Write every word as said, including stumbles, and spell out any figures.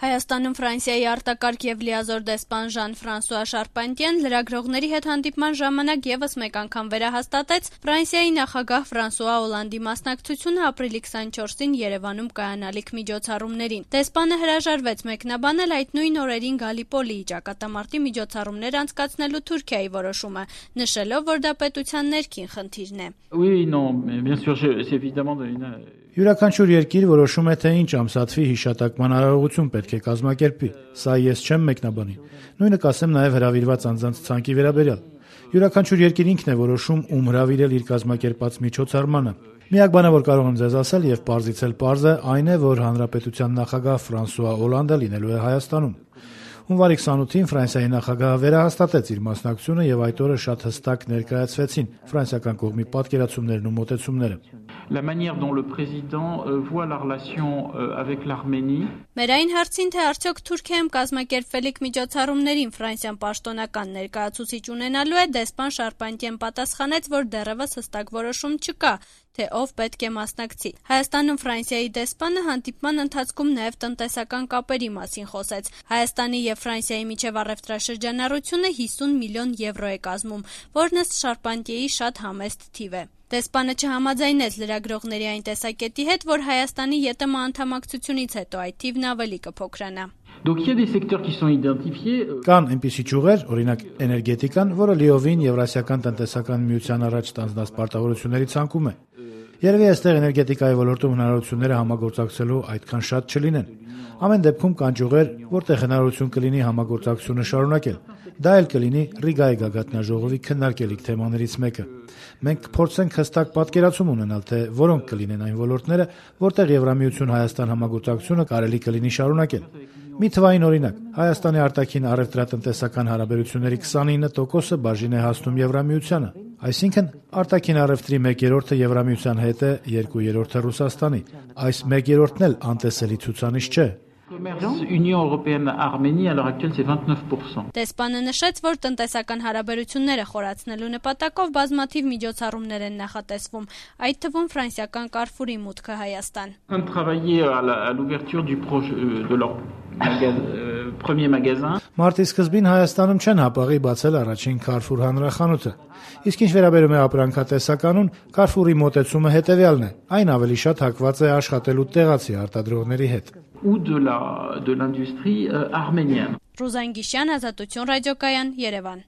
Հայաստանում Ֆրանսիայի արտակարգ եւ լիազոր դեսպան Ժան-Ֆրանսուଆ Շարպանտիեն լրագրողների հետ հանդիպման ժամանակ եւս մեկ անգամ վերահաստատեց Ֆրանսիայի նախագահ Ֆրանսուଆ Օլանդի մասնակցությունը ապրիլի քսանչորսին Երևանում կայանալիք միջոցառումներին։ Դեսպանը հրաժարվեց մեկնաբանել այդ նույն օրերին Գալիպոլիի ճակատամարտի միջոցառումներ անցկացնելու Թուրքիայի որոշումը, նշելով, որ դա պետության ներքին խնդիրն է։ Oui, non, mais bien sûr, c'est évidemment une Յուրաքանչյուր երկիր որոշում է, թե ինչ ամսաթվի հիշատակման արարողություն պետք է կազմակերպի։ Սա ես չեմ մեկնաբանի։ Նույնը կասեմ նաև հրավիրված անձանց ցանկի վերաբերյալ։ Յուրաքանչյուր երկիր ինքն է որոշում, ում հրավիրել իր կազմակերպած միջոցառմանը։ Միակ բանը, որ կարող եմ ձեզ ասել եւ պարզից էլ պարզ է, այն է, որ հանրապետության նախագահ Ֆրանսուଆ Օլանդը լինելու է Հայաստանում։ Հունվարի քսանութին Ֆրանսիայի նախագահը վերահաստատեց իր մասնակցությունը եւ այդ օրը շատ հստակ ներկայացվեցին ֆրանսիական կողմի պատկերացումներն ու մոտեցումները։ La manière dont le président voit la relation avec l'Arménie. Մեր այն հարցին, թե արդյոք Թուրքիայում կազմակերպվելիք միջոցառումներին Ֆրանսիան պաշտոնական ներկայացուցիչ ունենալու է, դեսպան Շարպանտիեն պատասխանեց, որ դեռևս հստակ որոշում չկա, թե ով պետք է մասնակցի։ Հայաստանում Ֆրանսիայի դեսպանը հանդիպման ընթացքում նաև տնտեսական կապերի մասին խոսեց։ Հայաստանի եւ Ֆրանսիայի միջև առևտրաշրջանառությունը հիսուն միլիոն եվրո է կազմում, որն ըստ Շարպանտիեի շատ համեստ թիվ է։ Դեսպանը չհամաձայնեց լրագրողների այն տեսակետի հետ, որ Հայաստանի ԵՏՄ անդամակցությունից հետո այդ թիվն ավելի կփոքրանա։ Donc il y a des secteurs qui sont identifiés. Կան այնպիսի ճյուղեր, օրինակ էներգետիկան, որը լիովին Եվրասիական տնտեսական միության առաջ ստանձնած պարտավորությունների ցանկում է։ Երևի այստեղ էներգետիկայի ոլորտում հնարավորությունները համագործակցելու այդքան շատ չլինեն։ Ամեն դեպքում կան ճյուղեր, որտեղ հնարավորություն կլինի համագործակցությունը շարունակել։ Դա էլ կլինի Ռիգայի գագաթնաժողովի քննարկելիք թեմաներից մեկը։ Մենք կփորձենք հստակ պատկերացում ունենալ, թե որոնք կլինեն այն ոլորտները, որտեղ Եվրամիություն-Հայաստան համագործակցությունը կարելի կլինի շարունակել։ Մի թվային օրինակ, Հայաստանի արտաքին առևտրատնտեսական հարաբերությունների քսանինը տոկոսը բաժին է հասնում Եվրամիությանը, այսինքն արտաքին առևտրի մեկ երրորդը Եվրամիության հետ է, երկու երրորդը Ռուսաստանի։ Այս մեկ երրորդն էլ անտեսելի ցուցանիշ չէ։ Union européenne-Arménie à l'heure actuelle c'est vingt-neuf pour cent. Դեսպանը նշեց, որ տնտեսական հարաբերությունները խորացնելու նպատակով բազմաթիվ միջոցառումներ են նախատեսվում, այդ թվում ֆրանսիական Carrefour-ի մուտքը Հայաստան։ On travailler à l'ouverture du projet de leur premier magasin. Մարտի սկզբին Հայաստանում չեն հապաղի բացել առաջին Carrefour հանրախանութը։ Իսկ ինչ վերաբերում է ապրանքատեսականուն, Carrefour-ի մոտեցումը հետևյալն է. այն ավելի շատ հակված է աշխատելու տեղացի արտադրողների հետ։ Ou de la de l'industrie arménienne. Ռուզան Գիշյան, Ազատություն ռադիոկայան, Երևան։